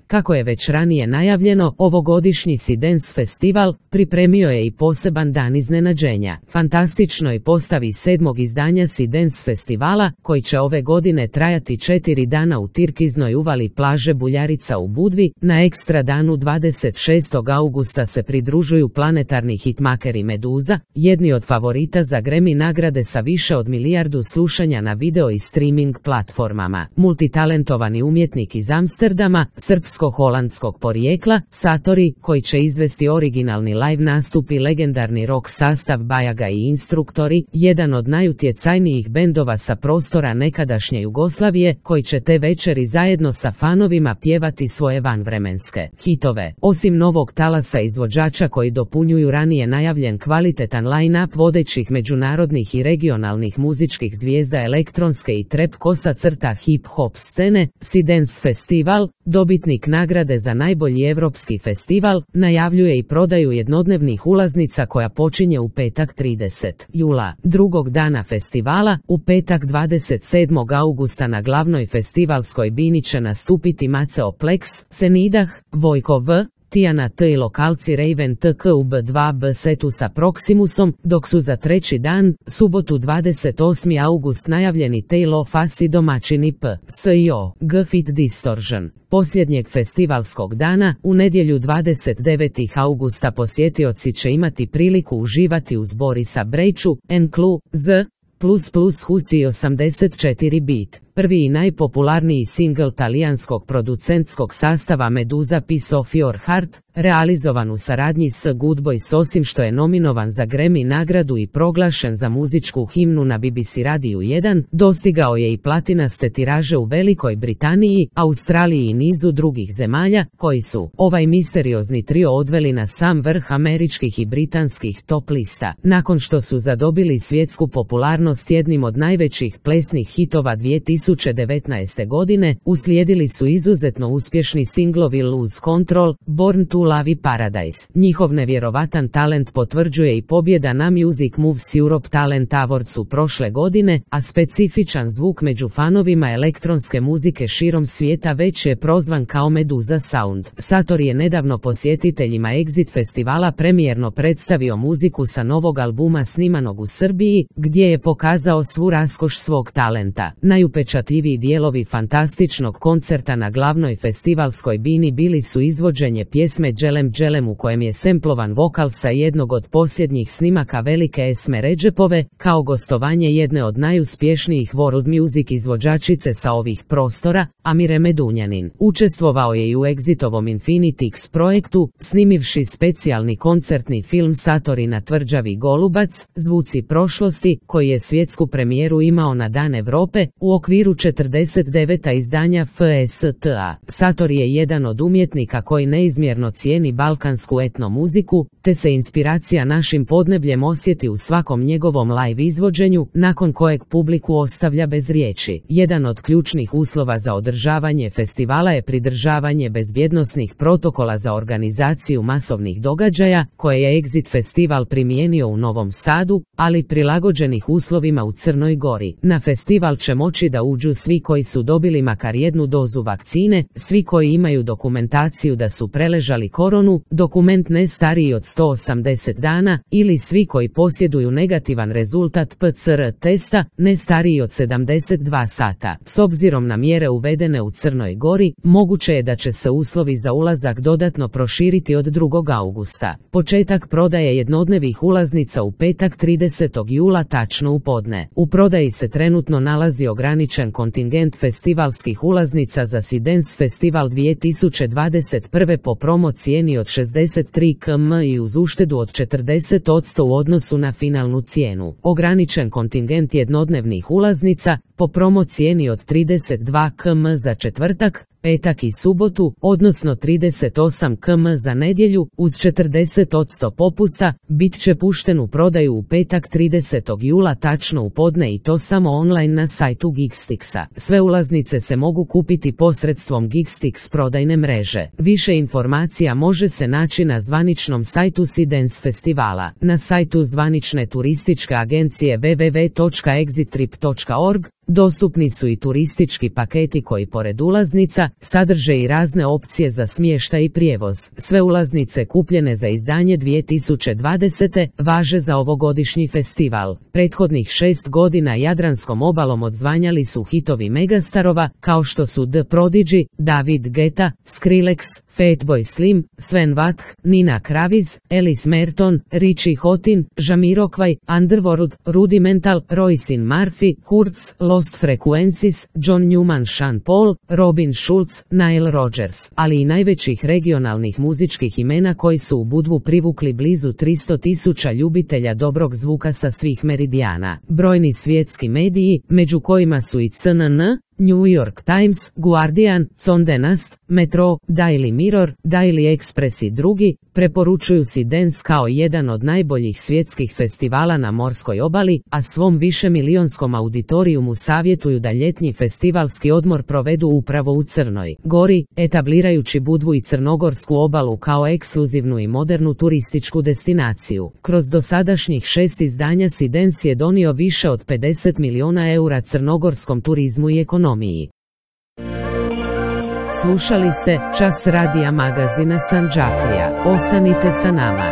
Kako je već ranije najavljeno, ovogodišnji Sea Dance festival pripremio je i poseban dan iznenađenja. Fantastičnoj postavi 7. izdanja Sea Dance festivala, koji će ove godine trajati 4 dana u tirkiznoj uvali plaže Buljarica u Budvi, na ekstra danu 26. augusta se pridružuju planetarni hitmakeri Meduza, jedni od favorita za Grammy nagrade sa više od milijardu slušanja na video i streaming platformama. Multitalentovani umjetnik iz Amsterdama, srpsko-holandskog porijekla, Satori, koji će izvesti originalni live nastup i legendarni rock sastav Bajaga i Instruktori, jedan od najutjecajnijih bendova sa prostora nekadašnje Jugoslavije, koji će te večeri zajedno sa fanovima pjevati svoje vanvremenske hitove. Osim novog talasa izvođača koji dopunjuju ranije najavljen kvalitetan line-up vodećih međunarodnih i regionalnih muzičkih zvijezda elektronske i trap hip-hop scene, Sea Dance Festival, dobitnik nagrade za najbolji europski festival, najavljuje i prodaju jednodnevnih ulaznica koja počinje u petak 30. jula. Drugog dana festivala, u petak 27. augusta na glavnoj festivalskoj bini će nastupiti Maceo Plex, Senidah, Vojko V, Tijana T i lokalci Raven TK u B2B setu sa Proximusom, dok su za treći dan, subotu 28. august najavljeni Taylor Fass i domaćini PSIO, G-Fit Distortion. Posljednjeg festivalskog dana, u nedjelju 29. augusta posjetioci će imati priliku uživati uz Borisa Brejču, Enklu, Z++ Husi 84 bit. Prvi i najpopularniji singl talijanskog producentskog sastava Meduza Piece of Your Heart, realizovan u saradnji s Good Boys, osim što je nominovan za Grammy nagradu i proglašen za muzičku himnu na BBC Radiju 1, dostigao je i platinaste tiraže u Velikoj Britaniji, Australiji i nizu drugih zemalja, koji su ovaj misteriozni trio odveli na sam vrh američkih i britanskih top lista. Nakon što su zadobili svjetsku popularnost jednim od najvećih plesnih hitova 2019. godine, uslijedili su izuzetno uspješni singlovi Lose Control, Born to Love i Paradise. Njihov nevjerovatan talent potvrđuje i pobjeda na Music Moves Europe Talent Awardsu prošle godine, a specifičan zvuk među fanovima elektronske muzike širom svijeta već je prozvan kao Meduza Sound. Satori je nedavno posjetiteljima Exit festivala premijerno predstavio muziku sa novog albuma snimanog u Srbiji, gdje je pokazao svu raskoš svog talenta. Najupečatljiviji dijelovi fantastičnog koncerta na glavnoj festivalskoj bini bili su izvođenje pjesme Dželem Dželem u kojem je semplovan vokal sa jednog od posljednjih snimaka velike Esme Redžepove, kao gostovanje jedne od najuspješnijih world music izvođačice sa ovih prostora, Amire Medunjanin. Učestvovao je i u Exitovom Infinitix projektu, snimivši specijalni koncertni film Satori na tvrđavi Golubac, Zvuci prošlosti, koji je svjetsku premijeru imao na Dan Europe, u okviru 49. izdanja FSTA. Satori je jedan od umjetnika koji neizmjerno cijeni balkansku etno muziku, te se inspiracija našim podnebljem osjeti u svakom njegovom live izvođenju, nakon kojeg publiku ostavlja bez riječi. Jedan od ključnih uslova za održavanje festivala je pridržavanje bezbjednosnih protokola za organizaciju masovnih događaja, koje je Exit festival primijenio u Novom Sadu, ali prilagođenih uslovima u Crnoj Gori. Na festival će moći da uđu svi koji su dobili makar jednu dozu vakcine, svi koji imaju dokumentaciju da su preležali koronu, dokument ne stariji od 180 dana, ili svi koji posjeduju negativan rezultat PCR testa, ne stariji od 72 sata. S obzirom na mjere uvedene u Crnoj Gori, moguće je da će se uslovi za ulazak dodatno proširiti od 2. augusta. Početak prodaje jednodnevnih ulaznica u petak 30. jula tačno u podne. U prodaji se trenutno nalazi ograničen kontingent festivalskih ulaznica za Sea Dance Festival 2021. po promo cijeni od 63 km i uz uštedu od 40% u odnosu na finalnu cijenu. Ograničen kontingent jednodnevnih ulaznica po promo cijeni od 32 km za četvrtak, petak i subotu, odnosno 38 km za nedjelju, uz 40% popusta, bit će pušten u prodaju u petak 30. jula tačno u podne i to samo online na sajtu Geekstixa. Sve ulaznice se mogu kupiti posredstvom Geekstix prodajne mreže. Više informacija može se naći na zvaničnom sajtu Sea Dance festivala, na sajtu zvanične turističke agencije www.exittrip.org, Dostupni su i turistički paketi koji pored ulaznica sadrže i razne opcije za smještaj i prijevoz. Sve ulaznice kupljene za izdanje 2020. važe za ovogodišnji festival. Prethodnih 6 godina Jadranskom obalom odzvanjali su hitovi megastarova kao što su The Prodigy, David Guetta, Skrillex, Fatboy Slim, Sven Vath, Nina Kraviz, Alice Merton, Richie Houghton, Jamiroquai, Underworld, Rudimental, Roisin Murphy, Kurtz, Lost Frequencies, John Newman, Sean Paul, Robin Schulz, Nile Rodgers, ali i najvećih regionalnih muzičkih imena koji su u Budvu privukli blizu 300.000 ljubitelja dobrog zvuka sa svih meridijana. Brojni svjetski mediji, među kojima su i CNN, New York Times, Guardian, Condé Nast, Metro, Daily Mirror, Daily Express i drugi, preporučuju Sidens kao jedan od najboljih svjetskih festivala na morskoj obali, a svom višemilijonskom auditorijumu savjetuju da ljetni festivalski odmor provedu upravo u Crnoj Gori, etablirajući Budvu i Crnogorsku obalu kao ekskluzivnu i modernu turističku destinaciju. Kroz dosadašnjih 6 izdanja Sidens je donio više od 50 miliona eura crnogorskom turizmu i ekonomiji. Slušali ste Čas radija magazina Sandžaklija. Ostanite sa nama.